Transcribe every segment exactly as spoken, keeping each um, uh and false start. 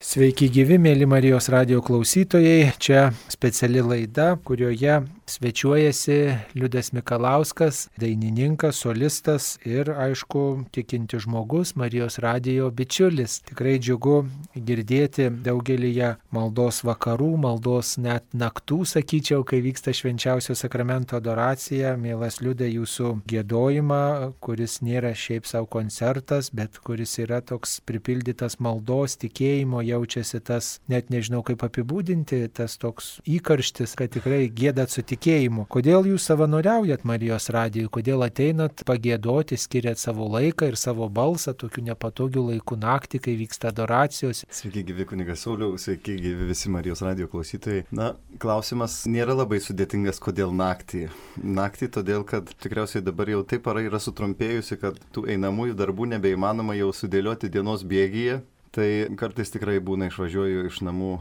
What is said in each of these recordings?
Sveiki gyvi, mėly Marijos radijo klausytojai. Čia speciali laida, kurioje svečiuojasi Liudas Mikalauskas, dainininkas, solistas ir, aišku, tikinti žmogus, Marijos radijo bičiulis. Tikrai džiugu girdėti daugelyje maldos vakarų, maldos net naktų, sakyčiau, kai vyksta švenčiausio sakramento adoracija. Mielas Liudai, jūsų giedojimą, kuris nėra šiaip savo koncertas, bet kuris yra toks pripildytas maldos, tikėjimo, jaučiasi tas, net nežinau kaip apibūdinti, tas toks įkarštis, kad tikrai giedat su tikėjimu. Kodėl jūs savanoriaujat Marijos radijui, kodėl ateinat pagiedoti, skiriat savo laiką ir savo balsą tokiu nepatogiu laiku naktį, kai vyksta adoracijos? Sveiki gyvi kunigas Sauliau, sveiki gyvi visi Marijos radijo klausytojai. Na, klausimas nėra labai sudėtingas, kodėl naktį. Naktį todėl, kad tikriausiai dabar jau taip para yra sutrumpėjusi, kad tų einamųjų darbų nebeįmanoma jau sudėlioti dienos bėgyje. Tai kartais tikrai būna išvažiuoju iš namų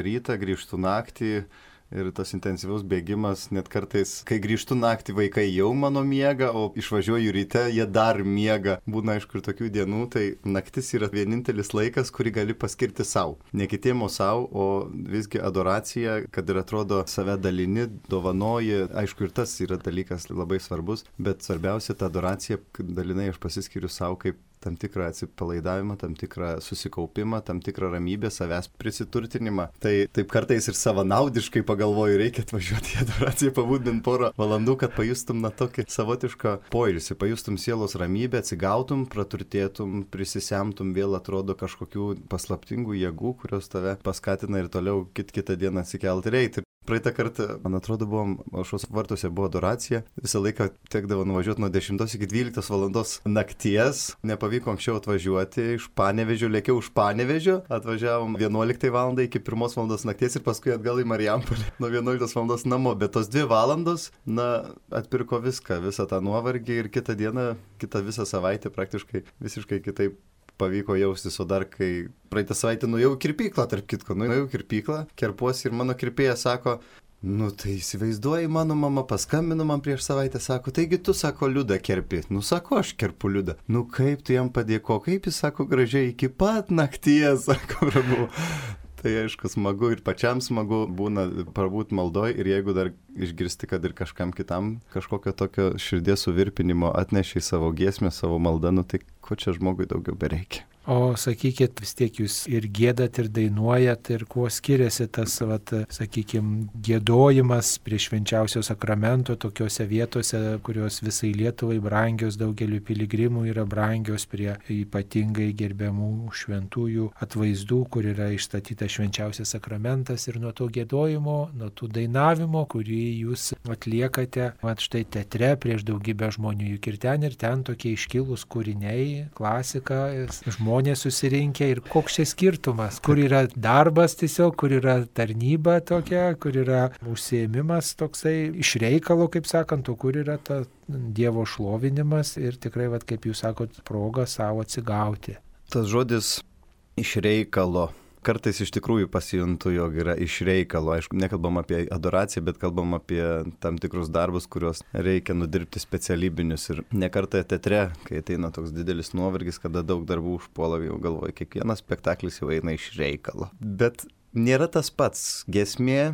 rytą, grįžtu naktį ir tas intensyvus bėgimas, net kartais, kai grįžtu naktį, vaikai jau mano miega, o išvažiuoju ryte, jie dar miega. Būna aišku ir tokių dienų, tai naktis yra vienintelis laikas, kurį gali paskirti savo. Ne kitiem, o savo, o visgi adoracija, kad ir atrodo save dalini, dovanoji, aišku ir tas yra dalykas labai svarbus, bet svarbiausia ta adoracija, kad dalinai aš pasiskiriu savo kaip tam tikrą atsipalaidavimą, tam tikrą susikaupimą, tam tikrą ramybę, savęs prisiturtinimą. Tai taip kartais ir savanaudiškai pagalvoju, reikia atvažiuoti į adoraciją, pabūt bent porą valandų, kad pajustum na tokį savotišką poilsį, pajustum sielos ramybę, atsigautum, praturtėtum, prisisemtum, vėl atrodo kažkokių paslaptingų jėgų, kurios tave paskatina ir toliau kit kitą dieną atsikelti ir eiti. Praeitą kartą, man atrodo, buvom, aušros vartuose buvo adoracija, visą laiką tekdavo nuvažiuoti nuo dešimtos iki dvyliktos valandos nakties, nepavyko anksčiau atvažiuoti, iš Panevėžio, lėkiau iš Panevėžio, atvažiavom vienuoliktai valandai iki pirmos valandos nakties ir paskui atgal į Marijampolę nuo vienuoliktos valandos namo, bet tos dvi valandos, na, atpirko viską, visą tą nuovargį ir kitą dieną, kitą visą savaitę praktiškai visiškai kitaip pavyko jaustis, o dar kai praeitą savaitę nuėjau į kirpyklą, tarp kitko, nuėjau į kirpyklą, kerpuosi ir mano kirpėja sako, nu tai įsivaizduoji, mano mama paskambino man prieš savaitę, sako, taigi tu, sako, Liudą kerpi. Nu, sako, aš kerpu Liudą. Nu, kaip tu jam padėko, kaip jis, sako, gražiai iki pat nakties, sako, ramu. Tai aišku, smagu ir pačiam smagu būna prabūt maldoj ir jeigu dar išgirsti, kad ir kažkam kitam kažkokio tokio širdies suvirpinimo atneši į savo giesmę, savo maldą, nu tai ko čia žmogui daugiau bereikia. O sakykit, vis tiek jūs ir giedat, ir dainuojat, ir kuo skiriasi tas, vat, sakykime, giedojimas prie švenčiausio sakramento tokiose vietose, kurios visai Lietuvai brangios, daugeliu piligrimų yra brangios prie ypatingai gerbiamų šventųjų atvaizdų, kur yra išstatytas švenčiausias sakramentas ir nuo to giedojimo, nuo tų dainavimo, kurį jūs atliekate, mat štai teatre prieš daugybę žmonių, juk ir ten, ir ten tokie iškilūs kūriniai, klasika, žmonės. Žmonės susirinkę ir koks čia skirtumas, kur yra darbas tiesiog, kur yra tarnyba tokia, kur yra užsiėmimas toksai iš reikalo, kaip sakant, o kur yra ta Dievo šlovinimas ir tikrai, vat, kaip jūs sakot, proga savo atsigauti. Tas žodis iš reikalo. Kartais iš tikrųjų pasijuntu, jog yra iš reikalo. Aišku, nekalbam apie adoraciją, bet kalbam apie tam tikrus darbus, kuriuos reikia nudirbti specialybinius. Ir ne kartą teatre, kai ateina toks didelis nuovargis, kada daug darbų užpuola, jau galvoju, kiekvienas spektaklis jau eina iš reikalo. Bet nėra tas pats. Giesmė,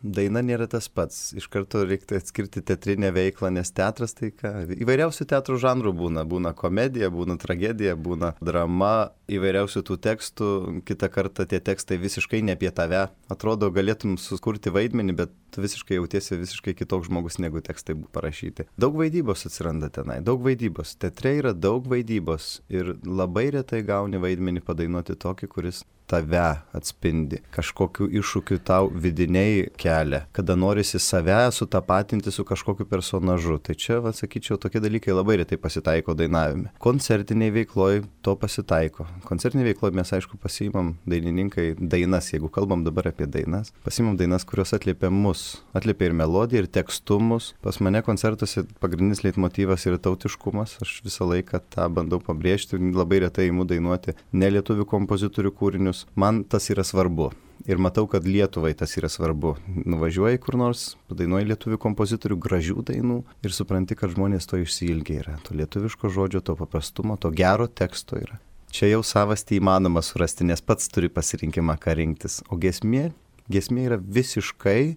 daina nėra tas pats. Iš karto reikia atskirti teatrinę veiklą, nes teatras tai ką? Įvairiausių teatro žanrų būna. Būna komedija, būna tragedija, būna drama, įvairiausių tų tekstų. Kitą kartą tie tekstai visiškai ne apie tave. Atrodo, galėtum sukurti vaidmenį, bet tu visiškai jautiesi visiškai kitoks žmogus, negu tekstai parašyti. Daug vaidybos atsiranda tenai, daug vaidybos. Teatre yra daug vaidybos ir labai retai gauni vaidmenį padainuoti tokį, kuris tave atspindi, kažkokiu iššūkiu tau vidiniai kelia, kada norisi save sutapatinti su kažkokiu personažu. Tai čia, va, sakyčiau, tokie dalykai labai retai pasitaiko dainavime. Koncertiniai veikloj to pasitaiko. Koncertiniai veikloj mes, aišku, pasiimam dainininkai dainas, jeigu kalbam dabar apie dainas, pasiimam dainas, kurios atliepia mus, atliepia ir melodiją, ir tekstumus. Pas mane koncertuose pagrindinis leitmotyvas yra tautiškumas, aš visą laiką tą bandau pabrėžti, labai retai imu dainuoti ne lietuvių kompozitorių kūrinius. Man tas yra svarbu. Ir matau, kad Lietuvai tas yra svarbu. Nuvažiuoji kur nors, padainuoji lietuvių kompozitorių gražių dainų ir supranti, kad žmonės to išsiilgia yra. To lietuviško žodžio, to paprastumo, to gero teksto yra. čia jau savastį įmanoma surasti, nes pats turi pasirinkimą, ką rinktis. O giesmė, giesmė yra visiškai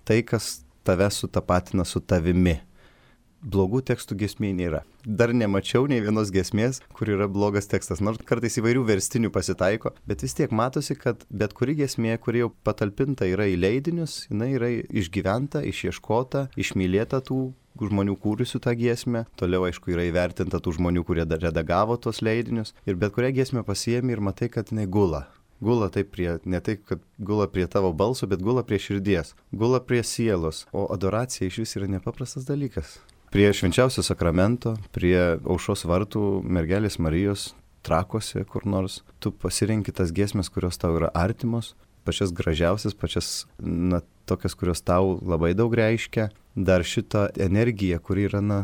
tai, kas tave sutapatina su tavimi. Blogų tekstų giesmėje nėra. Dar nemačiau nei vienos giesmės, kur yra blogas tekstas, nors kartais įvairių verstinių pasitaiko, bet vis tiek matosi, kad bet kuri giesmė, kuri jau patalpinta yra į leidinius, jinai yra išgyventa, išieškota, išmylėta tų žmonių kūrusių tą giesmę, toliau aišku yra įvertinta tų žmonių, kurie redagavo tos leidinius ir bet kurią giesmę pasiėmi ir matai, kad jinai gula. Gula taip prie, ne taip, kad gula prie tavo balso, bet gula prie širdies, gula prie sielos, o adoracija iš vis yra nepaprastas dalykas. Prie švenčiausio sakramento, prie aušros vartų mergelės Marijos Trakuose kur nors, tu pasirenki tas giesmės, kurios tau yra artimos, pačias gražiausias, pačias, na, tokias, kurios tau labai daug reiškia. Dar šitą energiją, kuri yra, na,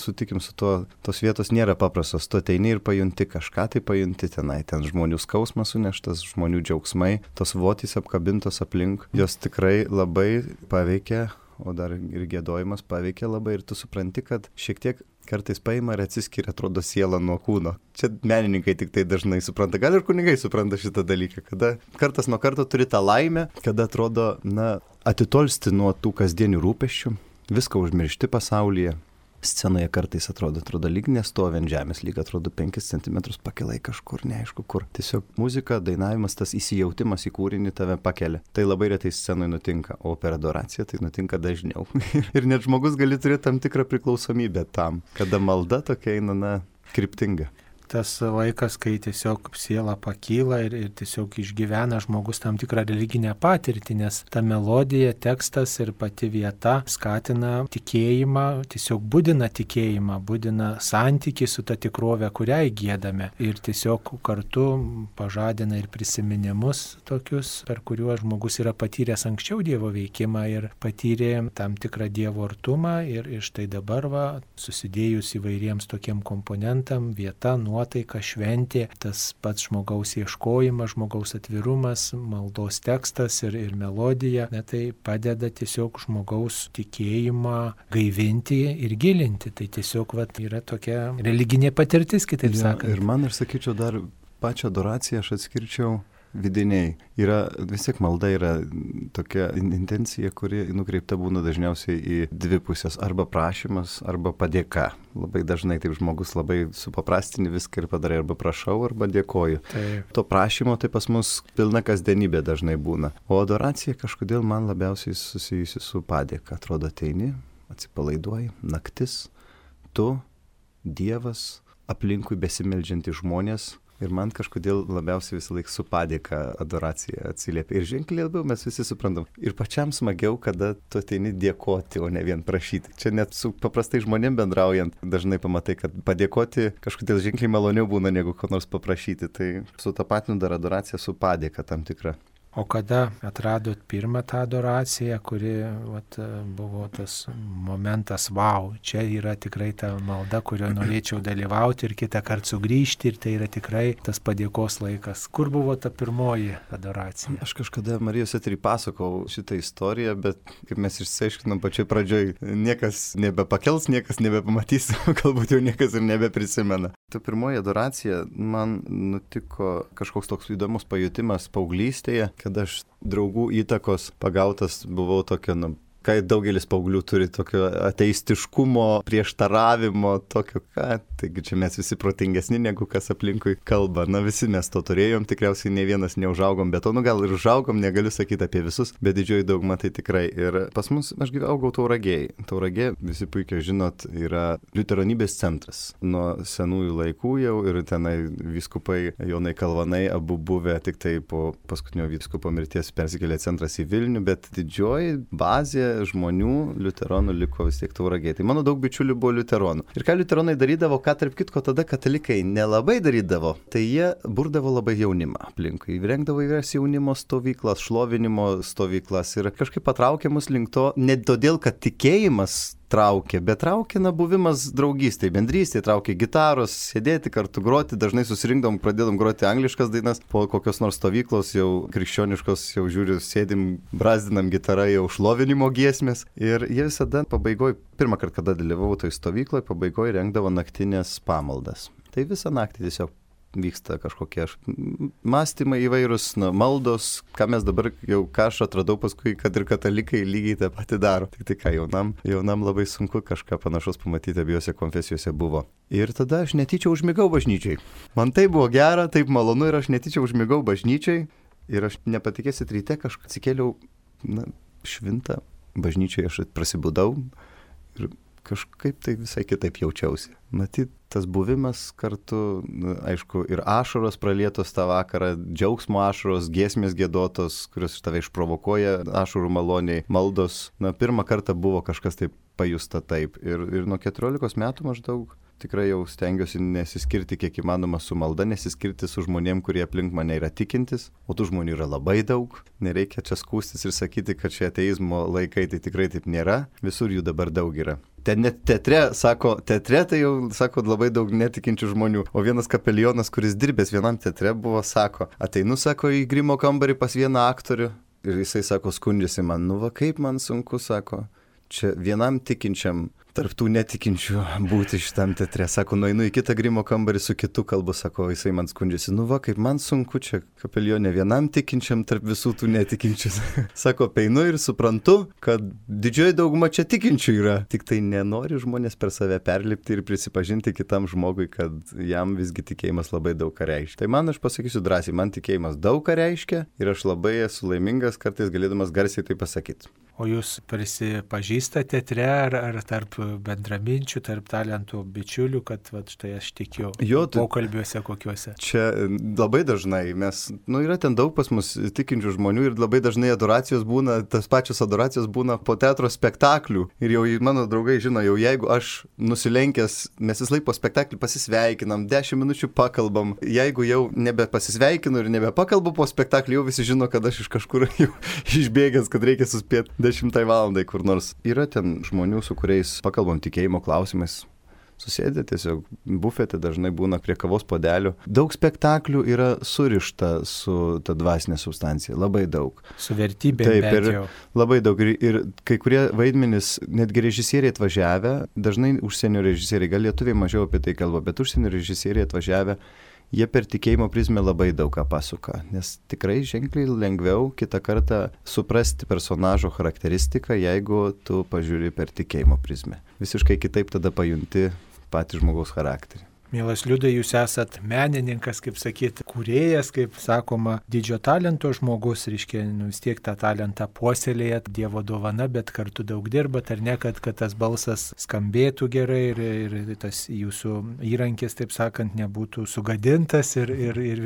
sutikim su to, tos vietos nėra paprastos, tu ateini ir pajunti kažką, tai pajunti tenai, ten žmonių skausmas suneštas, žmonių džiaugsmai, tos votys apkabintos aplink, jos tikrai labai paveikia, o dar ir giedojimas paveikia labai ir tu supranti, kad šiek tiek kartais paima ir atsiskiria, atrodo, siela nuo kūno. Čia menininkai tik tai dažnai supranta, gal ir kunigai supranta šitą dalyką, kada kartas nuo karto turi tą laimę, kada atrodo, na, atitolsti nuo tų kasdienių rūpesčių, viską užmiršti pasaulyje. Scenoje kartais atrodo, atrodo lyg nestovi ant žemės, lyg atrodo penkis centimetrus pakilai kažkur, neaišku kur. Tiesiog muzika, dainavimas, tas įsijautimas į kūrinį tave pakelia. Tai labai retai scenoje nutinka, o per adoraciją tai nutinka dažniau. Ir net žmogus gali turėti tam tikrą priklausomybę tam, kada malda tokia eina, na, kryptinga. Tas laikas, kai tiesiog siela pakyla ir, ir tiesiog išgyvena žmogus tam tikrą religinę patirtį, nes ta melodija, tekstas ir pati vieta skatina tikėjimą, tiesiog budina tikėjimą, budina santykį su ta tikrove, kurią įgiedame. Ir tiesiog kartu pažadina ir prisiminimus tokius, per kuriuos žmogus yra patyręs anksčiau Dievo veikimą ir patyrė tam tikrą Dievo artumą. Ir, ir štai dabar, va, susidėjus įvairiems tokiem komponentam, vieta, nuotaika, šventė, tas pats žmogaus ieškojimas, žmogaus atvirumas, maldos tekstas ir, ir melodija, ne, tai padeda tiesiog žmogaus tikėjimą gaivinti ir gilinti. Tai tiesiog, vat, yra tokia religinė patirtis, kitaip ja, sakant. Ir man, aš sakyčiau, dar pačią adoraciją aš atskirčiau vidiniai. Yra, vis tiek malda yra tokia intencija, kuri nukreipta būna dažniausiai į dvi pusės, arba prašymas, arba padėka. Labai dažnai taip žmogus labai supaprastini viską ir padarai, arba prašau, arba dėkoju. Taip. To prašymo tai pas mus pilna kasdienybė dažnai būna. O adoracija kažkodėl man labiausiai susijusi su padėka. Atrodo, ateini, atsipalaiduoji, naktis, tu, Dievas, aplinkui besimeldžiantys žmonės. Ir man kažkodėl labiausiai visą laiką su padėka adoracija atsiliepia. Ir ženkliai labiau mes visi suprantam. Ir pačiam smagiau, kada tu ateini dėkoti, o ne vien prašyti. Čia net su paprastai žmonėm bendraujant dažnai pamatai, kad padėkoti kažkodėl ženkliai maloniau būna negu ko nors paprašyti. Tai sutapatinu dar adoraciją su padėka tam tikra. O kada atradot pirmą tą adoraciją, kuri vat, buvo tas momentas, wow, čia yra tikrai ta malda, kurio norėčiau dalyvauti ir kitą kartą sugrįžti ir tai yra tikrai tas padėkos laikas. Kur buvo ta pirmoji adoracija? Aš kažkada Marijos eterį pasakau šitą istoriją, bet kaip mes išsiaiškinom pačioj pradžioj, niekas nebepakels, niekas nebepamatys, galbūt jau niekas ir nebeprisimena. Ta pirmoji adoracija man nutiko kažkoks toks įdomus pajutimas paauglystėje, kad aš draugų įtakos pagautas buvau tokio, nu, kai daugelis paauglių turi tokio ateistiškumo, prieštaravimo, tokio, ką, taigi čia mes visi protingesni negu kas aplinkui kalba. Na, visi mes to turėjom, tikriausiai ne vienas neužaugom, bet to, nu, gal ir užaugom, negaliu sakyti apie visus, bet didžioji dauguma tai tikrai. Ir pas mus, aš augau Tauragėj. Tauragė, visi puikiai žinot, yra liuteronybės centras. Nuo senųjų laikų jau ir tenai vyskupai Jonai Kalvanai abu buvę, tik tai po paskutinio vyskupo mirties persikėlė centras į Vilnių, bet didžioji bazė žmonių liuteronų liko vis tiek Tauragėj. Tai mano daug bičiulių buvo liuteronų. Ir ką liuteronai darydavo, ką tarp kitko tada katalikai nelabai darydavo, tai jie burdavo labai jaunimą aplinkui. Rengdavo įvairias jaunimo stovyklas, šlovinimo stovyklas ir kažkaip patraukė mus link to, ne todėl, kad tikėjimas traukė, bet traukė, na, buvimas draugystėje, bendrystėje, traukė gitaros, sėdėti kartu, groti, dažnai susirinkdom, pradėdom groti angliškas dainas, po kokios nors stovyklos jau krikščioniškos, jau žiūriu, sėdim, brazdinam gitarą, jau šlovinimo giesmės ir jie visada pabaigoje, pirmą kartą, kada dalyvavau toj stovykloje, pabaigoje rengdavo naktinės pamaldas. Tai visą naktį tiesiog vyksta kažkokie mąstymai įvairūs, na, maldos, ką mes dabar jau, ką aš atradau paskui, kad ir katalikai lygiai tą patį daro. Tik tai ką, jaunam, jaunam labai sunku kažką panašaus pamatyti, abiejose konfesijose buvo. Ir tada aš netyčia užmigau bažnyčiai. Man tai buvo gera, taip malonu ir aš netyčia užmigau bažnyčiai. Ir aš nepatikėsit, ryte kažką atsikėliau, na, švintą bažnyčiai, aš prasibudau ir kažkaip tai visai kitaip jaučiausi. Matyt, tas buvimas kartu, na, aišku, ir ašaros pralietos tą vakarą, džiaugsmo ašaros, giesmės giedotos, kurios tave išprovokuoja ašarų maloniai, maldos. Na, pirmą kartą buvo kažkas taip pajusta taip. Ir, ir nuo keturiolikos metų maždaug tikrai jau stengiuosi nesiskirti kiek įmanoma su malda, nesiskirti su žmonėm, kurie aplink mane yra tikintis, o tų žmonių yra labai daug. Nereikia čia skūstis ir sakyti, kad čia ateizmo laikai, tai tikrai taip nėra. Visur jų dabar daug yra. Ten net teatre, sako, teatre tai jau, sako, labai daug netikinčių žmonių. O vienas kapelionas, kuris dirbęs vienam teatre, buvo, sako, ateinu, sako, į grimo kambarį pas vieną aktorių ir jisai, sako, skundžiasi man, nu va kaip man sunku, sako, čia vienam tikinčiam tarptų netikinčių būti šitam teatre. Sako, nueinu į kitą grimo kambarį su kitu kalbu, sako, jisai man skundžiasi. Nu va, kaip man sunku čia kapelionė vienam tikinčiam tarp visų tų netikinčių. Sako, peinu ir suprantu, kad didžioji dauguma čia tikinčių yra. Tik tai nenori žmonės per save perlipti ir prisipažinti kitam žmogui, kad jam visgi tikėjimas labai daug ką reiškia. Tai man, aš pasakysiu drąsiai, man tikėjimas daug ką reiškia ir aš labai esu laimingas, kartais galėdamas garsiai tai pasakyti. O jūs prisipažįstate teatre ar, ar tarp bendraminčių, tarp talentų bičiulių, kad va, štai aš tikiu jo, tai, pokalbiuose kokiuose? Čia labai dažnai mes, nu yra ten daug pas mus tikinčių žmonių ir labai dažnai adoracijos būna, tas pačios adoracijos būna po teatro spektaklių. Ir jau mano draugai žino, jau jeigu aš nusilenkęs, mes vis laik po spektaklį pasisveikinam, dešimt minučių pakalbam. Jeigu jau nebepasisveikinu ir nebepakalbu po spektaklį, jau visi žino, kad aš iš kažkur jau išbėgęs, kad reikia suspėti dešimtai valandai kur nors. Yra ten žmonių, su kuriais pakalbam tikėjimo klausimais. Susėdė tiesiog bufete, dažnai būna prie kavos puodelių. Daug spektaklių yra surišta su ta dvasinė substancija, labai daug. Su vertybė. Taip, ir labai daug. Ir, ir kai kurie vaidmenys, netgi režisieriai atvažiavę, dažnai užsienio režisieriai, gal lietuviai mažiau apie tai kalba, bet užsienio režisieriai atvažiavę, jie per tikėjimo prizmę labai daug ką pasuka, nes tikrai ženkliai lengviau kitą kartą suprasti personažo charakteristiką, jeigu tu pažiūri per tikėjimo prizmę. Visiškai kitaip tada pajunti patį žmogaus charakterį. Mielas Liudai, jūs esat menininkas, kaip sakyti, kūrėjas, kaip sakoma, didžio talento žmogus, reiškia, nu, vis tiek tą talentą puoselėjat, Dievo dovana, bet kartu daug dirbat, ar ne, kad, kad tas balsas skambėtų gerai ir, ir tas jūsų įrankis, taip sakant, nebūtų sugadintas ir, ir, ir,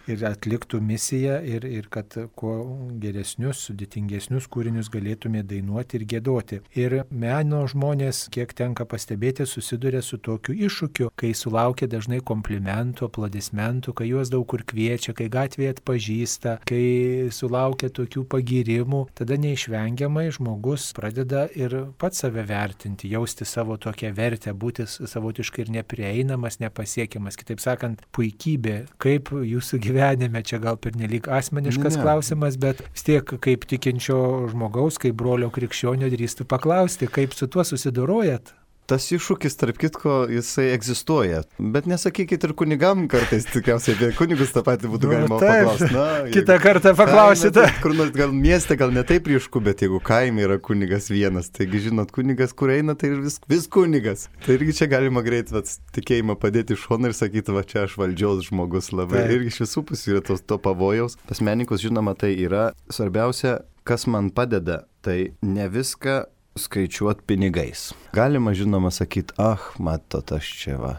ir atliktų misiją ir, ir kad kuo geresnius, sudėtingesnius kūrinius galėtume dainuoti ir giedoti. Ir meno žmonės, kiek tenka pastebėti, susiduria su tokiu iššūkiu, kai sulaukia laukia dažnai komplimentų, aplodismentų, kai juos daug kur kviečia, kai gatvėje atpažįsta, kai sulaukia tokių pagyrimų, tada neišvengiamai žmogus pradeda ir pats save vertinti, jausti savo tokią vertę, būti savotiškai ir neprieinamas, nepasiekiamas. Kitaip sakant, puikybė, kaip jūsų gyvenime, čia gal pernelyg asmeniškas ne. klausimas, bet vis tiek kaip tikinčio žmogaus, kaip brolio krikščionio drįstu paklausti, kaip su tuo susidorojat? Tas iššūkis, tarp kitko, jisai egzistuoja. Bet nesakykit ir kunigam kartais, tikriausiai apie kunigus tą patį būtų nu, galima taip, paklausti. Na, kitą kartą paklausite. Kur nors gal mieste, gal ne taip ryšku, bet jeigu kaime yra kunigas vienas, taigi žinot, kunigas, kur eina, tai vis, vis kunigas. Tai irgi čia galima greit vat, tikėjimą padėti iš šono ir sakyti, va čia aš valdžiaus žmogus labai. Taip. Irgi iš visų pusių yra to, to pavojaus. Pas menininkus, žinoma, tai yra svarbiausia, kas man padeda, tai ne viską skaičiuot pinigais. Galima, žinoma, sakyti, ah, matot, aš čia va,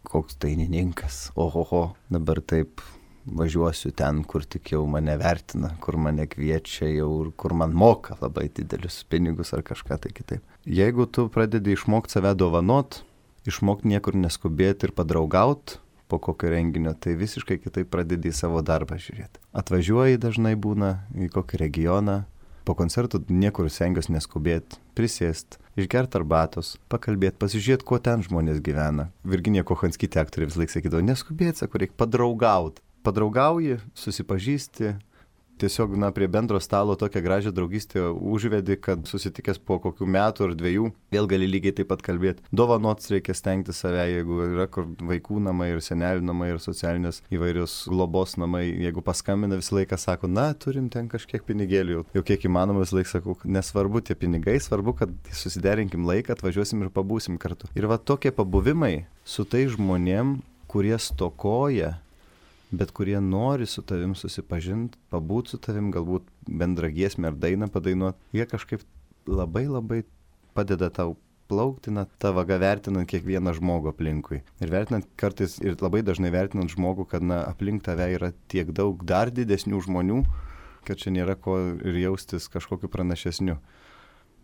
koks dainininkas, ohoho, dabar taip važiuosiu ten, kur tik jau mane vertina, kur mane kviečia jau ir kur man moka labai didelius pinigus ar kažką tai kitaip. Jeigu tu pradedi išmokti save dovanot, išmokti niekur neskubėti ir padraugaut po kokio renginio, tai visiškai kitaip pradedi į savo darbą žiūrėti. Atvažiuoji dažnai būna į kokį regioną, po koncertų niekur stengiuosi neskubėti, prisėsti, išgerti arbatos, pakalbėti, pasižiūrėti, kuo ten žmonės gyvena. Virginija Kochanskytė aktorė vis laik sakydavo, neskubėti, sako, reikia padraugauti. Padraugauji, susipažįsti, tiesiog, na, prie bendro stalo tokią gražią draugystę užvedi, kad susitikęs po kokių metų ar dviejų, vėl gali lygiai taip pat kalbėti. Dovanots reikia stengti save, jeigu yra kur vaikų namai ir senelių namai ir socialinės įvairios globos namai. Jeigu paskambina, visą laiką sako, na, turim ten kažkiek pinigėlių. Jau kiek įmanoma, visą laiką sakau, nesvarbu tie pinigai, svarbu, kad susiderinkim laiką, atvažiuosim ir pabūsim kartu. Ir va tokie pabuvimai su tai žmonėm, kurie stokoja, bet kurie nori su tavim susipažinti, pabūti su tavim, galbūt bendrą giesmę ar dainą padainuoti, jie kažkaip labai labai padeda tau plaukti, na, tą vagą vertinant kiekvieną žmogų aplinkui. Ir vertinant kartais, ir labai dažnai vertinant žmogų, kad, na, aplink tave yra tiek daug dar didesnių žmonių, kad čia nėra ko ir jaustis kažkokiu pranašesniu.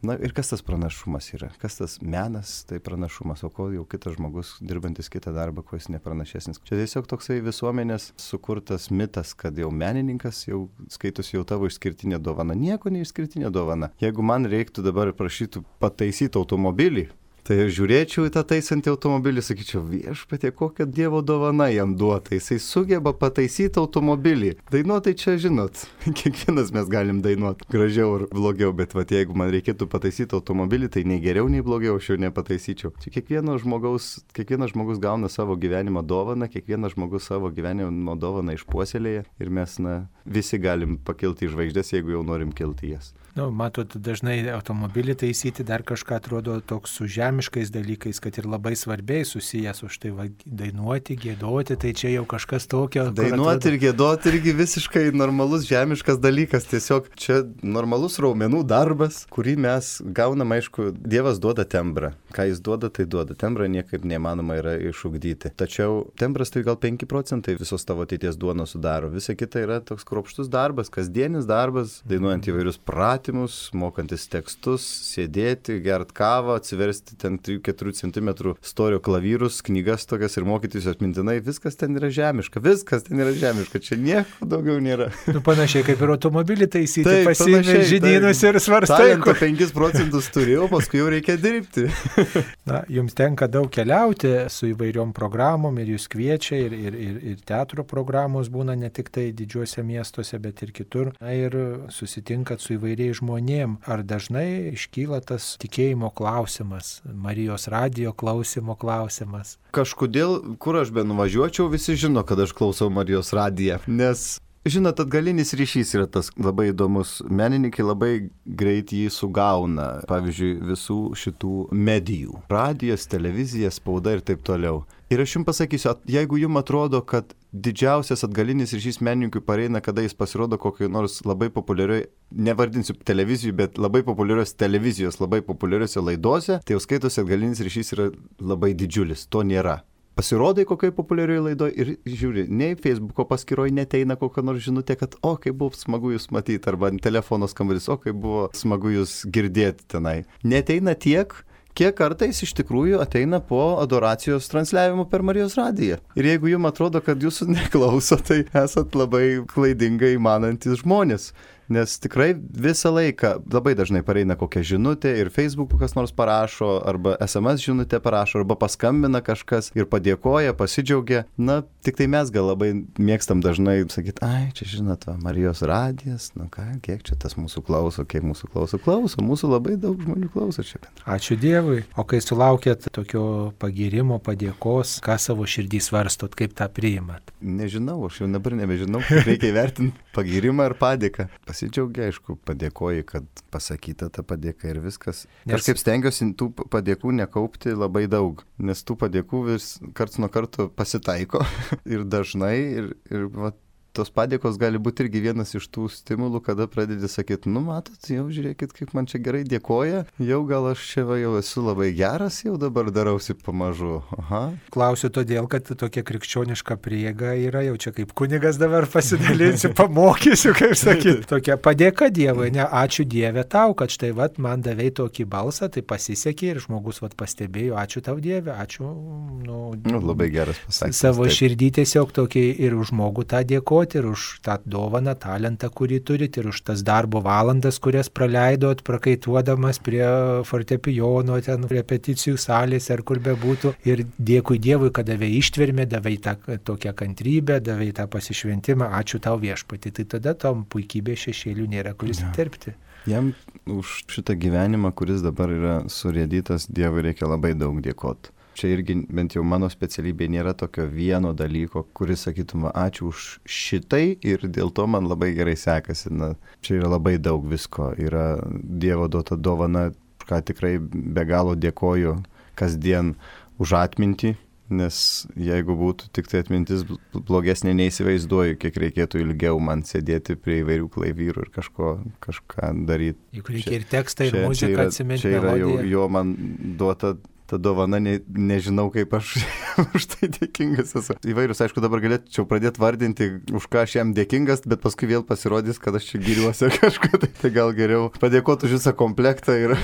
Na ir kas tas pranašumas yra? Kas tas menas, tai pranašumas, o ko jau kitas žmogus, dirbantis kitą darbą, kuo jis nepranašesnis. Čia tiesiog toksai visuomenės sukurtas mitas, kad jau menininkas jau skaitosi jau tavo išskirtinė dovana. Nieko neišskirtinė dovana. Jeigu man reiktų dabar prašytų pataisyti automobilį, tai aš žiūrėčiau į tą taisantį automobilį, sakyčiau, viešpatie, kokia Dievo dovana jam duota, jisai sugeba pataisyti automobilį. Dainuotai čia, žinot, kiekvienas mes galim dainuoti gražiau ar blogiau, bet vat, jeigu man reikėtų pataisyti automobilį, tai nei geriau, nei blogiau aš jau nepataisyčiau. Čia kiekvienas žmogaus, kiekvienas žmogus gauna savo gyvenimo dovaną, kiekvienas žmogus savo gyvenimo dovaną išpuoselėja ir mes, na, visi galim pakilti į žvaigždės, jeigu jau norim kilti jas. Nu, matot, dažnai automobilį taisyti dar kažką atrodo toks su žemiškais dalykais, kad ir labai svarbiai susijęs už tai va, dainuoti, gėdoti, tai čia jau kažkas tokio. Dainuoti atrodo... ir gėdoti irgi visiškai normalus žemiškas dalykas, tiesiog čia normalus raumenų darbas, kurį mes gaunam, aišku, Dievas duoda tembrą. Ką jis duoda, tai duoda. Tembrą niekaip neįmanoma yra išugdyti. Tačiau tembras tai gal penki procentai visos tavo ateities duonos sudaro. Visa kita yra toks kruopštus darbas, kasdienis darbas, dainuojant įvairius pratymus, mokantis tekstus, sėdėti, gert kavą, atsiversti ten trijų keturių centimetrų storio klavyrus, knygas tokias ir mokytis atmintinai. Viskas ten yra žemiška, viskas ten yra žemiška, čia nieko daugiau nėra. Nu, panašiai kaip ir automobilį taisyti, pasiėmė žinynus ir svarstai. Talento penkis procentus turėjau, paskui jau reikia dirbti. Na, jums tenka daug keliauti su įvairiom programom ir jūs kviečia ir, ir, ir, ir teatro programos būna ne tik tai didžiuose miestuose, bet ir kitur. Na, ir susitinkat su įvairiais žmonėm. Ar dažnai iškyla tas tikėjimo klausimas, Marijos radijo klausimo klausimas? Kažkodėl, kur aš be nuvažiuočiau, visi žino, kad aš klausau Marijos radiją, nes žinot, atgalinis ryšys yra tas labai įdomus. Menininkai labai greit jį sugauna, pavyzdžiui, visų šitų medijų. Radijas, televizija, spauda ir taip toliau. Ir aš jums pasakysiu, jeigu jums atrodo, kad didžiausias atgalinis ryšys menininkui pareina, kada jis pasirodo kokioje nors labai populiarioj, nevardinsiu televizijų, bet labai populiarios televizijos, labai populiariose laidose, tai jau skaitosi atgalinis ryšys yra labai didžiulis. To nėra. Pasirodai kokiai populiarioje laidoje ir žiūri, nei Facebooko paskyroje neteina kokia nors žinutė, kad o, kaip buvo smagu jūs matyti, arba telefono skambutis, o, kaip buvo smagu jūs girdėti tenai. Neteina tiek, kiek kartais iš tikrųjų ateina po adoracijos transliavimo per Marijos radiją. Ir jeigu jums atrodo, kad jūsų neklauso, tai esat labai klaidingai manantis žmonės. Nes tikrai visą laiką labai dažnai pareina kokia žinutė ir Facebook'u kas nors parašo, arba S M S žinutė parašo, arba paskambina kažkas ir padėkoja, pasidžiaugia. Na, tik tai mes gal labai mėgstam dažnai sakyti, ai, čia žinot, va, Marijos radijas, nu ką, kiek čia tas mūsų klauso, kiek mūsų klauso, klauso, mūsų labai daug žmonių klauso čia bendra. Ačiū Dievui. O kai sulaukėt tokio pagirimo, padėkos, ką savo širdį svarstot, kaip tą priimat? Nežinau, aš jau dabar nebežinau, reikia įvertinti pagirimą ir padėką. Pasidžiaugia, aišku, padėkoji, kad pasakyta ta padėka ir viskas. Nes... Kažkaip stengiuosi tų padėkų nekaupti labai daug, nes tų padėkų vis karts nuo karto pasitaiko ir dažnai ir, ir va, tos padėkos gali būti irgi vienas iš tų stimulų, kada pradedi sakyti, nu matot, jau žiūrėkit, kaip man čia gerai dėkoja, jau gal aš čia va, jau esu labai geras, jau dabar darausi pamažu. Aha. Klausiu todėl, kad tokia krikščioniška prieiga yra, jau čia kaip kunigas dabar pasidalinsiu, pamokysiu, kaip sakyti. Tokia padėka Dievui, ne, ačiū Dieve tau, kad štai vat, man davei tokį balsą, tai pasisekė ir žmogus vat, pastebėjo, ačiū tau Dieve, ačiū. Nu, nu, labai geras pasakymas. Savo širdį tiesiog tokį ir už žmogų tą dėkoti. padėkoti ir už tą dovaną, talentą, kurį turit, ir už tas darbo valandas, kurias praleidot, prakaituodamas prie fortepijono, ten repeticijų salės ar kur bebūtų. Ir dėkui Dievui, kad davė ištvermę, davė tą tokią kantrybę, davė tą pasišventimą. Ačiū tau viešpatį. Tai tada tom puikybės šešėlių nėra kur įsiterpti. Jam už šitą gyvenimą, kuris dabar yra surėdytas, Dievui reikia labai daug dėkoti. Čia irgi, bent jau mano specialybė, nėra tokio vieno dalyko, kuris sakytum, ačiū už šitai ir dėl to man labai gerai sekasi. Na, čia yra labai daug visko. Yra Dievo duota dovana, ką tikrai be galo dėkoju kasdien už atmintį, nes jeigu būtų tik tai atmintis blogesnė, neįsivaizduoju, kiek reikėtų ilgiau man sėdėti prie įvairių klaivyrų ir kažko, kažką daryti. Juk reikia ir tekstą, ir muziką atsiminti. Čia yra jau jo man duota ta dovana, ne, nežinau, kaip aš už tai dėkingas esu. Įvairius, aišku, dabar galėčiau pradėti vardinti, už ką aš jam dėkingas, bet paskui vėl pasirodys, kad aš čia giriuosi kažką, tai, tai gal geriau padėkoti už visą komplektą. Ir...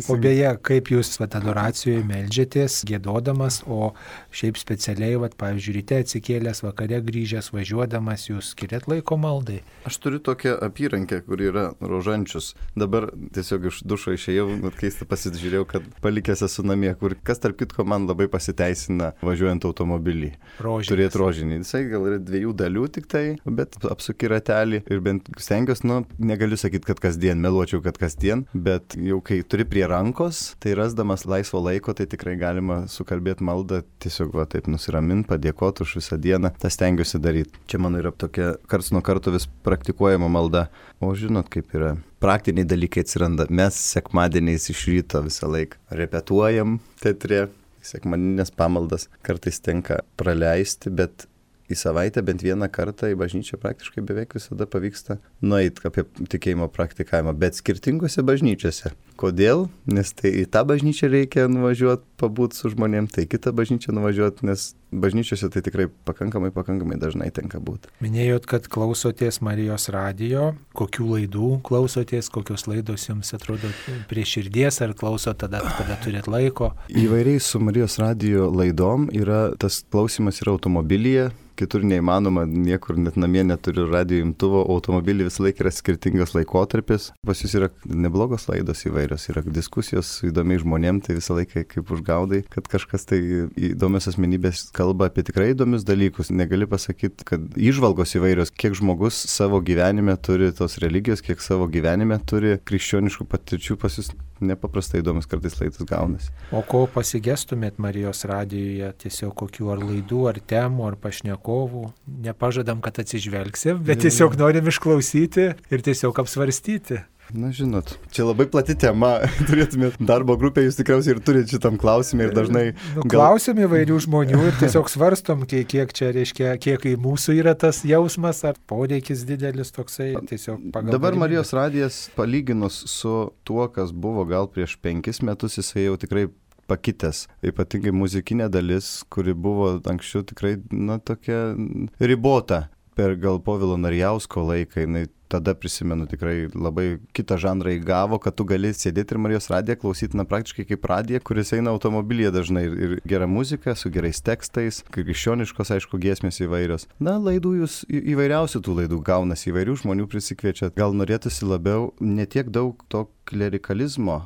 o beje, kaip jūs vat, adoracijoje meldžiatės, gėdodamas, o šiaip specialiai, vat, pavyzdžiui, ryte atsikėlęs, vakare grįžęs, važiuodamas, jūs skiriat laiko maldai? Aš turiu tokią apyrankę, kur yra rožančius. Dabar tiesiog iš dušo išėjau, keista pasižiūrėjau, kad palikęs esu namie, kur kas tarp kitko man labai pasiteisina važiuojant automobilį. Rožinis. Turėti rožinį. Jisai gal yra dviejų dalių tik tai, bet apsuki ratelį ir bent stengiuosi, nu, negaliu sakyti, kad kasdien, meluočiau, kad kasdien, bet jau kai turi prie rankos, tai rasdamas laisvo laiko, tai tikrai galima sukalbėti maldą, tiesiog va taip nusiraminti, padėkoti už visą dieną, tą stengiuosi daryti. Čia mano yra tokia karts nuo karto vis praktikuojama malda. O žinot, kaip yra. Praktiniai dalykai atsiranda. Mes sekmadieniais iš ryto visą laiką repetuojam teatre, sekmadieninės pamaldas kartais tenka praleisti, bet į savaitę bent vieną kartą į bažnyčią praktiškai beveik visada pavyksta nueiti apie tikėjimo praktikavimą, bet skirtingose bažnyčiose. Kodėl? Nes tai į tą bažnyčią reikia nuvažiuoti, pabūti su žmonėm, tai kitą bažnyčią nuvažiuoti, nes bažnyčiose tai tikrai pakankamai, pakankamai dažnai tenka būti. Minėjot, kad klausotės Marijos radijo, kokių laidų klausotės, kokios laidos jums atrodo prie širdies, ar klausot tada, kada turit laiko? Įvairiai su Marijos radijo laidom yra, tas klausimas yra automobilyje, kitur neįmanoma, niekur net namie neturiu radijo imtuvo, automobilį visą laiką yra skirtingas laikotarpis. Pas jūs yra neblogos laidos įvairios, yra diskusijos su įdomiai žmonėm, tai visą laiką kaip užgaudai, kad kažkas tai įdomios asmenybės kalba apie tikrai įdomius dalykus. Negali pasakyti, kad įžvalgos įvairios, kiek žmogus savo gyvenime turi tos religijos, kiek savo gyvenime turi krikščioniškų patirčių, pas jūs nepaprastai įdomus kartais laidas gaunasi. O ko pasigestumėt Marijos radijoje, tiesiog kokių ar laidų, ar temų, ar pašnekovų? Nepažadam, kad atsižvelgsim, bet tiesiog norim išklausyti ir tiesiog apsvarstyti. Na, žinot, čia labai plati tema, turėtumėt darbo grupę, jūs tikriausiai ir turite šitam klausimą ir dažnai... Nu, gal... Klausim įvairių žmonių ir tiesiog svarstom, kiek, kiek čia reiškia, kiek į mūsų yra tas jausmas, ar poreikis didelis toksai, tiesiog pagal... Dabar Marijos radijas, palyginus su tuo, kas buvo gal prieš penkis metus, jisai jau tikrai pakitęs. Ypatingai muzikinė dalis, kuri buvo anksčiau tikrai, na, tokia ribota per gal Povilo Narjausko laiką, jinai tada prisimenu tikrai labai kitą žanrą įgavo, kad tu gali sėdėti ir Marijos radiją klausyti, na, praktiškai kaip radiją, kuris eina automobilyje dažnai ir, ir gera muzika, su gerais tekstais, krikščioniškos, aišku, giesmės įvairios. Na, laidų jūs įvairiausių tų laidų gaunas, įvairių žmonių prisikviečia. Gal norėtųsi labiau ne tiek daug to klerikalizmo,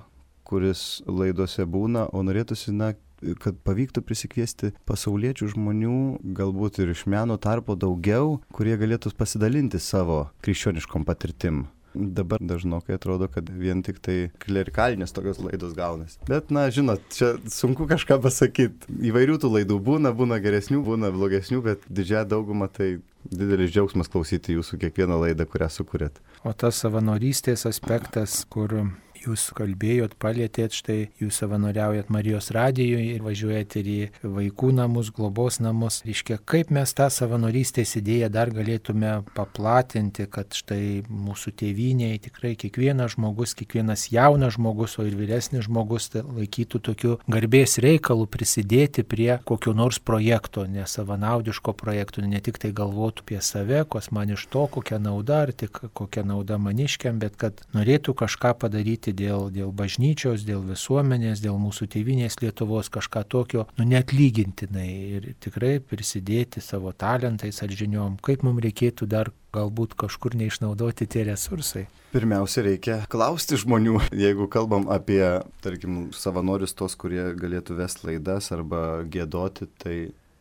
kuris laidose būna, o norėtųsi, na, kad pavyktų prisikviesti pasauliečių žmonių, galbūt ir iš meno tarpo daugiau, kurie galėtų pasidalinti savo krikščioniškom patirtim. Dabar dažnokai atrodo, kad vien tik tai klerikalinės tokios laidos gaunasi. Bet, na, žinot, čia sunku kažką pasakyti. Įvairių tų laidų būna, būna geresnių, būna blogesnių, bet didžiąją daugumą tai didelis džiaugsmas klausyti jūsų kiekvieną laidą, kurią sukūrėt. O tas savanorystės aspektas, kur jūs kalbėjot, palėtėt, štai jūs savanoriaujat Marijos radijoje ir važiuojat ir į vaikų namus, globos namus. Reiškia, kaip mes tą savanorystės idėją dar galėtume paplatinti, kad štai mūsų tėvynėje tikrai kiekvienas žmogus, kiekvienas jaunas žmogus, o ir vyresnis žmogus tai laikytų tokiu garbės reikalu prisidėti prie kokio nors projekto, nesavanaudiško projekto, ne tik tai galvotų apie save, kas man iš to, kokia nauda, ar tik kokia nauda maniškiam, bet kad norėtų kažką padaryti dėl, dėl bažnyčios, dėl visuomenės, dėl mūsų tėvynės Lietuvos kažką tokio, nu neatlygintinai ir tikrai prisidėti savo talentais ar žiniom, kaip mums reikėtų dar galbūt kažkur neišnaudoti tie resursai. Pirmiausia, reikia klausti žmonių. Jeigu kalbam apie, tarkim, savanorius tos, kurie galėtų vesti laidas arba giedoti, tai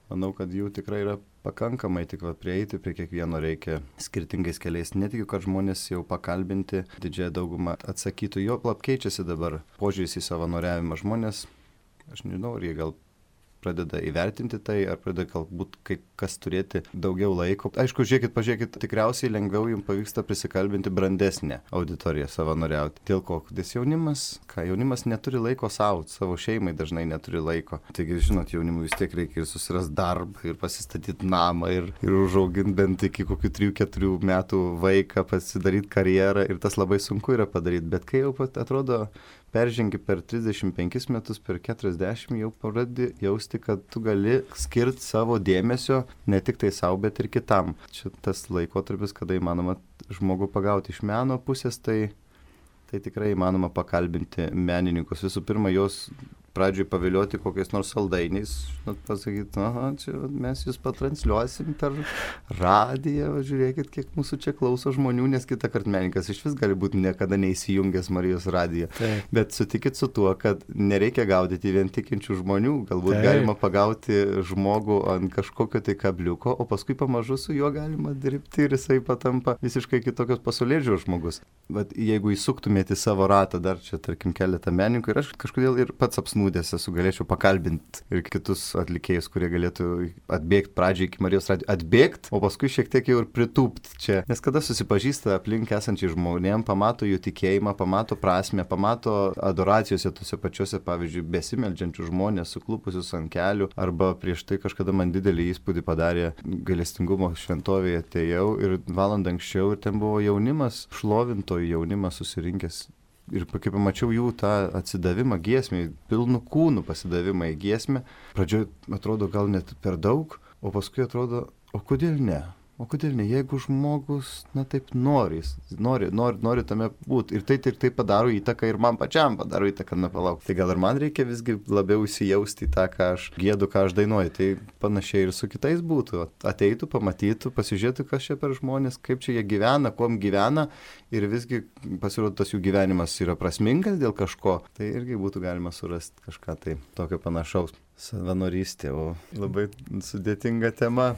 manau, kad jų tikrai yra pakankamai, tik va prieiti prie kiekvieno reikia skirtingais keliais. Netikiu, kad žmonės jau pakalbinti, didžiąją daugumą atsakytų. Jo plap keičiasi dabar požiūris į savanoriavimą. Žmonės, aš nežinau, ar jie gal pradeda įvertinti tai, ar pradeda galbūt kai kas turėti daugiau laiko. Aišku, žiūrėkit, pažiūrėkit, tikriausiai lengviau jums pavyksta prisikalbinti brandesnę auditoriją savanoriauti. Dėl ko? Nes jaunimas, ką jaunimas neturi laiko savo, savo šeimai dažnai neturi laiko. Taigi, žinot, jaunimui vis tiek reikia ir susirasti darbą, ir pasistatyti namą, ir, ir užauginti bent iki kokių trijų keturių metų vaiką, pasidaryti karjerą, ir tas labai sunku yra padaryti. Bet kai jau pat atrodo, peržengi per trisdešimt penkis metus, per keturiasdešimt, jau pradedi jausti, kad tu gali skirti savo dėmesio ne tik tai savo, bet ir kitam. Čia tas laikotarpis, kada įmanoma žmogų pagauti iš meno pusės, tai, tai tikrai įmanoma pakalbinti menininkus. Visų pirma, jos pradžioj pavilioti kokiais nors saldainiais, žinot, pasakyti, aha, čia mes jūs patransliuosim per radiją, žiūrėkit, kiek mūsų čia klauso žmonių, nes kitą kartą menininkas iš vis gali būti niekada neįsijungęs Marijos radiją. Taip. Bet sutikit su tuo, kad nereikia gaudyti vien tikinčių žmonių, galbūt Taip. Galima pagauti žmogų ant kažkokio tai kabliuko, o paskui pamažu su juo galima dirbti ir jisai patampa visiškai kitokios pasaulėžiūros žmogus. Bet jeigu įsuktumėte savo ratą, dar čia, tarkim, keletą menininkų, ir aš kažkodėl ir pats apsnūdęs esu, galėčiau pakalbinti ir kitus atlikėjus, kurie galėtų atbėgti pradžiai iki Marijos radijo, atbėgti, o paskui šiek tiek jau ir pritūpti čia. Nes kada susipažįsta aplink esančiai žmonėm, pamato jų tikėjimą, pamato prasmę, pamato adoracijose tose pačiose, pavyzdžiui, besimeldžiančių žmonės, suklupusius ant kelių, arba prieš tai kažkada man didelį įspūdį padarė gailestingumo šventovėje, atėjau ir valandą anksčiau ir ten buvo jaunimas, šlovintojų jaunimas susirinkęs. Ir kai pamačiau jų tą atsidavimą giesmei, pilnų kūnų pasidavimą į giesmę, pradžioj atrodo gal net per daug, o paskui atrodo, o kodėl ne? O kodėl ne? Jeigu žmogus, na taip nori, nori, nori, nori tame būti. Ir tai ir tai padaro įtaką ir man pačiam padaro įtaką, na palauk. Tai gal ir man reikia visgi labiau įsijausti į tą, ką aš giedu, ką aš dainuoju. Tai panašiai ir su kitais būtų. Ateitų, pamatytų, pasižiūrėtų, kas čia per žmonės, kaip čia jie gyvena, kuom gyvena. Ir visgi pasirodo, tas jų gyvenimas yra prasmingas dėl kažko. Tai irgi būtų galima surasti kažką tai tokio panašaus. Savanorystė, o labai sudėtinga tema.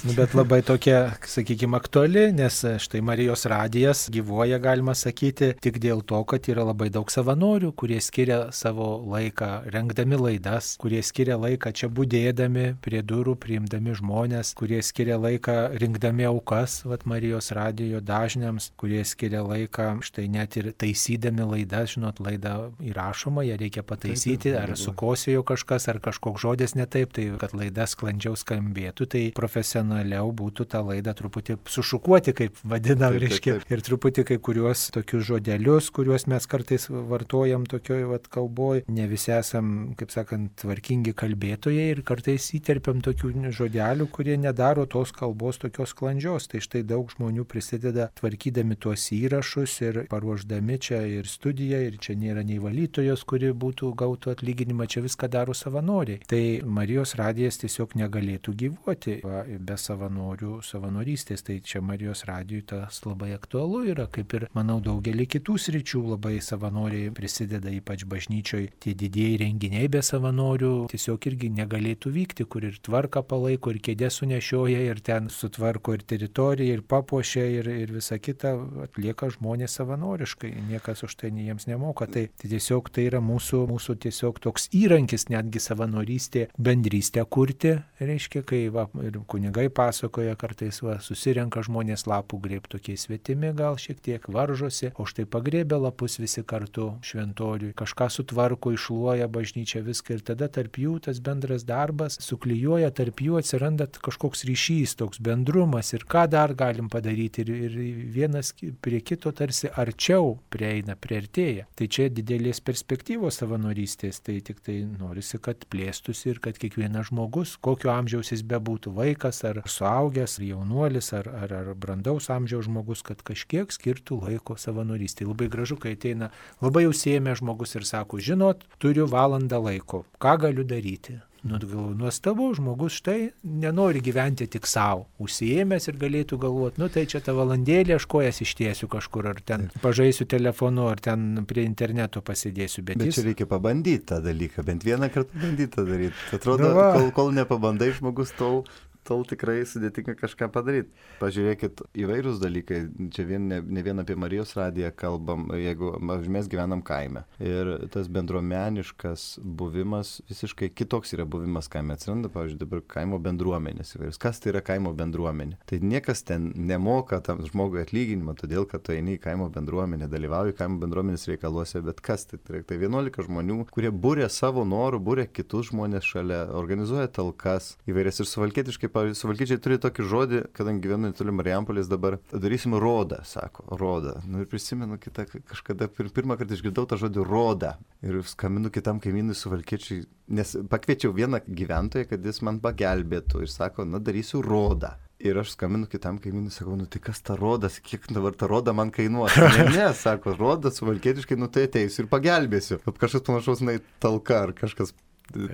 Nu, bet labai tokia, sakykime, aktuali, nes štai Marijos radijas gyvuoja, galima sakyti, tik dėl to, kad yra labai daug savanorių, kurie skiria savo laiką rengdami laidas, kurie skiria laiką čia budėdami prie durų, priimdami žmonės, kurie skiria laiką rinkdami aukas, vat Marijos radijo dažniams, kurie skiria laiką štai net ir taisydami laidas, žinot, laida įrašoma, ją reikia pataisyti, ar sukosėjo kažkas, ar kažkas koks žodis ne taip, tai kad laida sklandžiau skambėtų, tai profesionaliau būtų tą laidą truputį sušukuoti, kaip vadinam, reiškia, ir truputį kai kuriuos tokius žodelius, kuriuos mes kartais vartojam tokioj vat kalboj, ne visi esam, kaip sakant, tvarkingi kalbėtojai ir kartais įterpiam tokių žodelių, kurie nedaro tos kalbos tokios sklandžios. Tai štai daug žmonių prisideda tvarkydami tuos įrašus ir paruošdami čia ir studiją, ir čia nėra nei valytojos, kuri būtų gautų atlyginimą, čia viską daro savanoriai. Tai Marijos radijas tiesiog negalėtų gyvuoti va, be savanorių savanorystės. Tai čia Marijos radijui tas labai aktualu yra, kaip ir, manau, daugelį kitų sričių labai savanoriai prisideda, ypač bažnyčioj. Tie didieji renginiai be savanorių tiesiog irgi negalėtų vykti, kur ir tvarką palaiko, ir kėdė sunešioja, ir ten sutvarko ir teritoriją, ir papuošia, ir, ir visa kita atlieka žmonės savanoriškai. Niekas už tai jiems nemoka. Tai, tai tiesiog tai yra mūsų, mūsų tiesiog toks įrankis netgi savanoriškai. Bendrystę kurti, reiškia, kai va, ir kunigai pasakoja, kartais va, susirenka žmonės lapų grėb, tokie svetimi gal šiek tiek varžosi, o štai pagrėbė lapus visi kartu šventoriui, kažką sutvarko, iššluoja bažnyčią viską ir tada tarp jų tas bendras darbas suklijuoja, tarp jų atsiranda kažkoks ryšys, toks bendrumas ir ką dar galim padaryti ir, ir vienas prie kito tarsi arčiau prieina, priartėja. Tai čia didelės perspektyvos savanorystės, tai tik tai norisi, kad plėstųsi ir kad kiekvienas žmogus, kokio amžiaus jis bebūtų, vaikas ar suaugęs, ar jaunuolis, ar, ar, ar brandaus amžiaus žmogus, kad kažkiek skirtų laiko savanorystė. Labai gražu, kai ateina labai užsiėmę žmogus ir sako, žinot, turiu valandą laiko, ką galiu daryti? Nu, galvoju, nuostabu, žmogus štai nenori gyventi tik savo, užsiėmęs ir galėtų galvoti, nu tai čia tą valandėlį aš kojas ištiesiu kažkur, ar ten pažaisiu telefonu, ar ten prie interneto pasidėsiu. Bet, bet jis... čia reikia pabandyti tą dalyką, bent vieną kartą bandyti tą daryti. Atrodo, nu kol, kol nepabandai žmogus, tol... tol tikrai sudėtinga kažką padaryti. Pažiūrėkit, įvairūs dalykai, čia vien, ne, ne vien apie Marijos radiją kalbam, jeigu mes gyvenam kaime. Ir tas bendruomeniškas buvimas, visiškai kitoks yra buvimas kaime. Atsiranda, pavyzdžiui, dabar kaimo bendruomenės įvairius. Kas tai yra kaimo bendruomenė? Tai niekas ten nemoka tam žmogui atlyginimą, todėl kad tu eini į kaimo bendruomenę, dalyvauji kaimo bendruomenės reikaluose, bet kas tai? Tai vienuolika žmonių, kurie būrė savo norų, būrė kitus žmonės šalia, organizuoja talkas įvairias ir suvalkietiškai. Suvalkiečiai turi tokį žodį, kadangi gyvenu netoli Marijampolės dabar, darysim rodą, sako, rodą. Nu ir prisimenu kitą, kažkada pirmą kartą išgirdau tą žodį rodą. Ir skambinu kitam kaimynui suvalkiečiai, nes pakviečiau vieną gyventoją, kad jis man pagelbėtų. Ir sako, na darysiu rodą. Ir aš skambinu kitam kaimynui, sakau, nu tai kas ta rodas, kiek dabar ta roda man kainuos? Ne, ne, sako, rodas suvalkietiškai, nu tai ateisiu ir pagelbėsiu. Kažkas panašaus, na, talka ar kažkas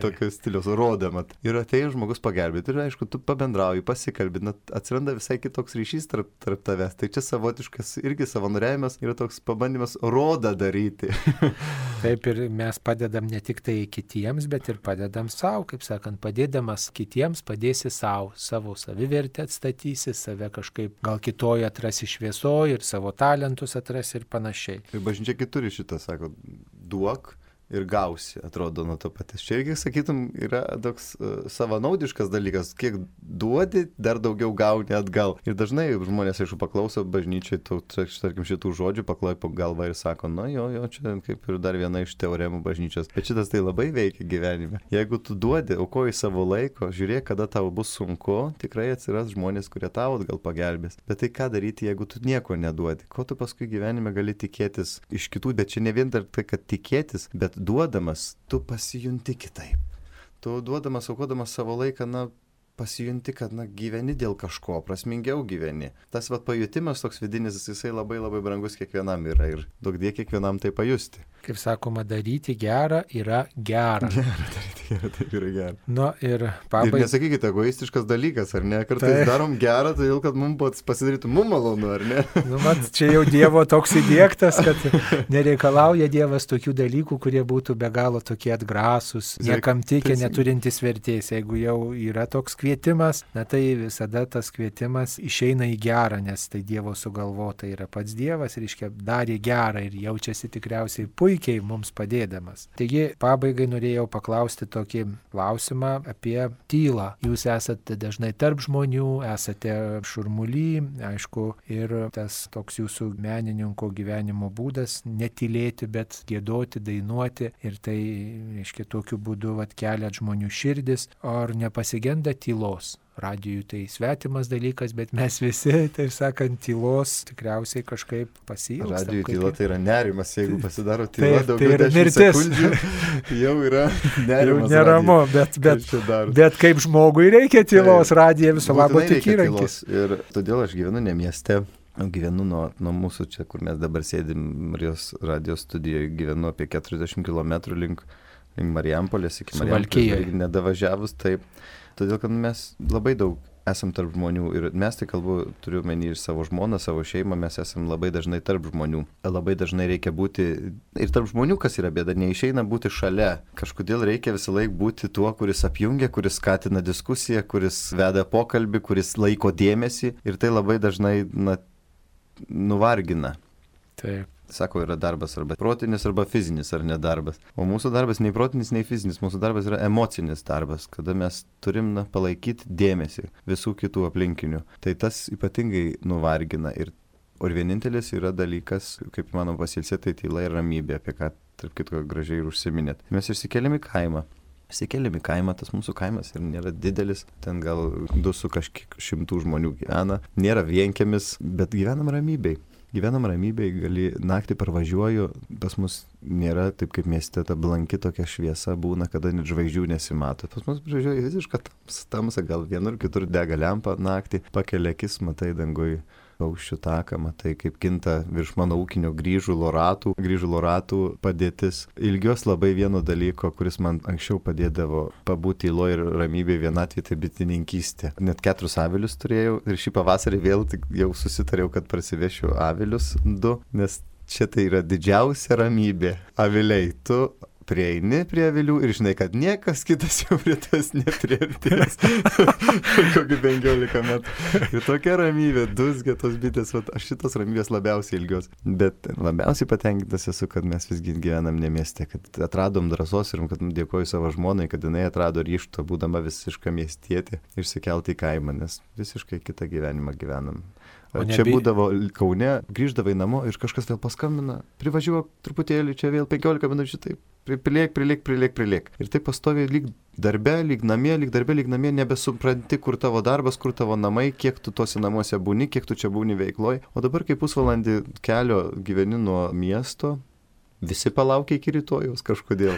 tokio stiliaus rodamat. Ir atėjo žmogus pagelbėti ir aišku, tu pabendrauji, pasikalbi, atsiranda visai kitoks ryšys tarp, tarp tavęs. Tai čia savotiškas irgi savanoriavimas yra toks pabandymas rodą daryti. Taip ir mes padedam ne tik tai kitiems, bet ir padedam savo, kaip sakant, padėdamas kitiems padėsi savo, savo savivertę atstatysi, save kažkaip gal kitoje atrasi šviesoje ir savo talentus atrasi ir panašiai. Ir bažnyčia kituri šitą, sako, duok ir gausi, atrodo, nuo to paties. Čia irgi, sakytum, yra toks uh, savanaudiškas dalykas, kiek duodi, dar daugiau gauni atgal. Ir dažnai žmonės, aišku, paklauso bažnyčiai, tu, tarkim, šitų žodžių, pakloja po galvą ir sako, na jo, jo, čia kaip ir dar viena iš teoremų bažnyčios. Bet šitas tai labai veikia gyvenime. Jeigu tu duodi, aukoji savo laiko, žiūrėk, kada tau bus sunku, tikrai atsiras žmonės, kurie tau atgal pagelbės. Bet tai ką daryti, jeigu tu nieko neduodi? Ko tu paskui gyvenime gali tikėtis iš kitų, bet čia ne vien dar tai, kad tikėtis, bet duodamas, tu pasijunti kitaip. Tu duodamas, aukodamas savo laiką, na, pasijunti, kad, na, gyveni dėl kažko, prasmingiau gyveni. Tas, va, pajutimas toks vidinis, jisai labai labai brangus kiekvienam yra ir daug dėk kiekvienam tai pajusti. Kaip sakoma, daryti gerą yra gera. Gera, daryti gerą, taip yra gera. Nu, ir pabaigai. Ir nesakykite, egoistiškas dalykas, ar ne? Kartais tai darom gerą, todėl, kad mums pasidarytų mums malonu, ar ne? Nu, man čia jau Dievo toks įdiegtas, kad nereikalauja Dievas tokių dalykų, kurie būtų be galo tokie atgrasus, niekam tikę, neturintis vertės. Jeigu jau yra toks kvietimas, na tai visada tas kvietimas išeina į gerą, nes tai Dievo sugalvota yra pats Dievas, reiškia, darė gerą ir jaučiasi tikriausiai puikiai mums padėdamas. Taigi, pabaigai norėjau paklausti tokį klausimą apie tylą. Jūs esate dažnai tarp žmonių, esate šurmuly, aišku, ir tas toks jūsų menininko gyvenimo būdas netylėti, bet giedoti, dainuoti ir tai, reiškia, tokiu būdu vat keliat žmonių širdis. Ar nepasigenda tylos? Radijui tai svetimas dalykas, bet mes visi, taip sakant, tylos tikriausiai kažkaip pasiilgstam. Radijui tyla tai yra nerimas, jeigu pasidaro tyla taip, daugiau tai dešimt sekundžių, jau yra nerimas. Jau neramu, bet, bet, bet kaip žmogui reikia tylos, tai, radija viso labo tik įrankis. Ir todėl aš gyvenu ne mieste. Gyvenu nuo, nuo mūsų čia, kur mes dabar sėdim Marijos radijos studijoje, gyvenu apie keturiasdešimt kilometrų link, link Marijampolės, iki Marijampolės nedavažiavus, taip. Todėl, kad mes labai daug esam tarp žmonių ir mes tai kalbu, turiu menį ir savo žmoną, savo šeimą, mes esam labai dažnai tarp žmonių. Labai dažnai reikia būti ir tarp žmonių, kas yra bėda, neišeina būti šalia. Kažkodėl reikia visą laiką būti tuo, kuris apjungia, kuris skatina diskusiją, kuris veda pokalbį, kuris laiko dėmesį ir tai labai dažnai, na, nuvargina. Taip. Sako, yra darbas arba protinis, arba fizinis, ar nedarbas. O mūsų darbas nei protinis, nei fizinis. Mūsų darbas yra emocinis darbas, kada mes turim na, palaikyti dėmesį visų kitų aplinkinių. Tai tas ypatingai nuvargina. Ir, ir vienintelis yra dalykas, kaip manom pasilsė, tai tyla ir ramybė, apie ką, tarp kitko, gražiai ir užsiminėt. Mes išsikeliam į kaimą. Išsikeliam į kaimą, tas mūsų kaimas ir nėra didelis, ten gal du su kažkiek šimtų žmonių gyvena. Nėra vienkiemis, bet gyvenam ramybėj. gyvenam ramybėj, gali naktį parvažiuoju, pas mus nėra taip kaip mieste, ta blanki tokia šviesa būna, kada net žvaigždžių nesimato. Pas mus važiuoja visiška tamsa, gal vienur kitur dega lempa naktį, pakelia akis, matai dangui paukščių taką, matai kaip kinta virš mano ūkinio grįžulo ratų, grįžulo ratų padėtis. Ilgios labai vieno dalyko, kuris man anksčiau padėdavo pabūti tyloje ir ramybėje vienatvėje, tai bitininkystė. Net keturis avilius turėjau ir šį pavasarį vėl tik jau susitariau, kad prasivešiu avilius du, nes čia tai yra didžiausia ramybė. Aviliai, tu prieini prie avilių ir žinai, kad niekas kitas jau prie tas nepriartės. Kokį penkiolika metų. Ir tokia ramybė, dusgia tos bitės, vat, aš šitos ramybės labiausiai ilgios. Bet labiausiai patenkintas esu, kad mes visgi gyvenam ne mieste, kad atradom drąsos ir kad dėkoju savo žmonai, kad jinai atrado ryžto, būdama visiška miestietė, išsikelti į kaimą, nes visiškai kitą gyvenimą gyvenam. Čia nebi... būdavo Kaune, grįždavai namo ir kažkas vėl paskambina, privažiuok truputėlį, čia vėl penkiolika minučių, taip, priliek, priliek, priliek, priliek. Ir taip pastoviai lyg darbe, lyg namie, lyg darbe, lyg namie, nebesupranti, kur tavo darbas, kur tavo namai, kiek tu tuose namuose būni, kiek tu čia būni veikloj. O dabar, kai pusvalandį kelio gyveni nuo miesto, visi palaukia iki rytojaus kažkodėl.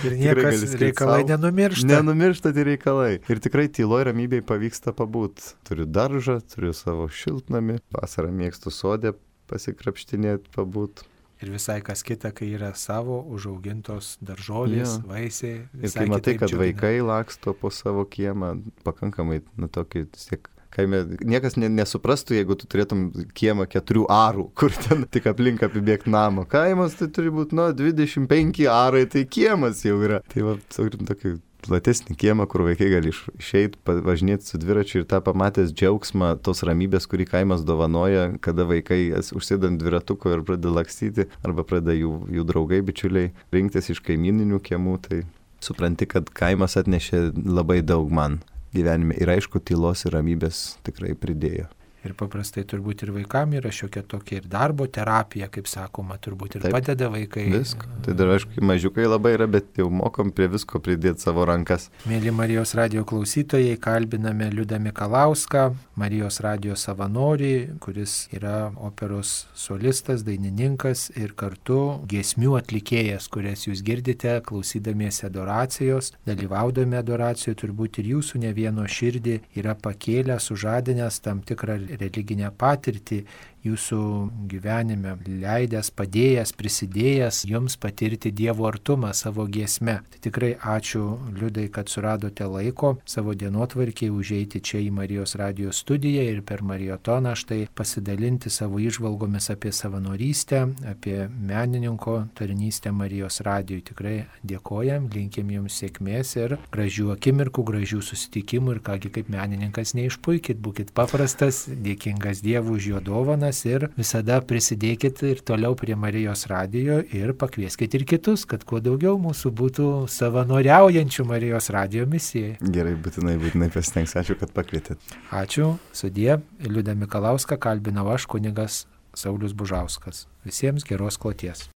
Ir niekas reikalai savo, nenumiršta. Nenumiršta tie reikalai. Ir tikrai tyloj ramybėj pavyksta pabūt. Turiu daržą, turiu savo šiltnamį, vasarą mėgstu sodė pasikrapštinėti, pabūt. Ir visai kas kita, kai yra savo užaugintos daržovės, ja. Vaisiai. Ir kai matai, kad džiugina. Vaikai laksto po savo kiemą, pakankamai, nu, tokį, tiek, kaime, niekas ne, nesuprastų, jeigu tu turėtum kiemą keturių arų, kur ten tik aplink apibėgti namo. Kaimas tai turi būti, nu, dvidešimt penki arai, tai kiemas jau yra. Tai va, turim tokį platesnį kiemą, kur vaikai gali išeiti, važinėti su dviračiu ir tą pamatęs džiaugsmą tos ramybės, kurį kaimas dovanoja, kada vaikai užsėda ant dviratuko ir pradeda lakstyti, arba pradeda jų, jų draugai, bičiuliai rinktis iš kaimyninių kiemų, tai supranti, kad kaimas atnešė labai daug man gyvenime ir aišku, tylos ir ramybės tikrai pridėjo. Ir paprastai turbūt ir vaikam yra šiokia tokia ir darbo terapija, kaip sakoma, turbūt ir taip, padeda vaikai. Visko. Tai dar aišku, mažiukai labai yra, bet jau mokom prie visko pridėti savo rankas. Mėly Marijos radijo klausytojai, kalbiname Liudą Mikalauską, Marijos radijo savanorį, kuris yra operos solistas, dainininkas ir kartu giesmių atlikėjas, kurias jūs girdite klausydamiesi adoracijos, dalyvaudami adoracijoje, turbūt ir jūsų ne vieno širdį yra pakėlę, sužadinęs tam tikrą religinę patirtį jūsų gyvenime, leidęs, padėjęs, prisidėjęs jums patirti Dievo artumą savo giesme. Tai tikrai ačiū, Liudai, kad suradote laiko savo dienotvarkiai užeiti čia į Marijos radijo studiją ir per Mariotoną štai pasidalinti savo įžvalgomis apie savanorystę, apie menininko tarnystę Marijos radijui. Tikrai dėkojam, linkim jums sėkmės ir gražių akimirkų, gražių susitikimų ir kągi kaip menininkas neišpuikit, būkit paprastas, dėkingas Dievui už jo dovaną. Ir visada prisidėkit ir toliau prie Marijos radijo ir pakvieskit ir kitus, kad kuo daugiau mūsų būtų savanoriaujančių Marijos radijo misijai. Gerai, būtinai, būtinai pasitengs. Ačiū, kad pakvietėt. Ačiū, sudie. Liudą Mikalauską kalbinau aš, kunigas Saulius Bužauskas. Visiems geros kloties.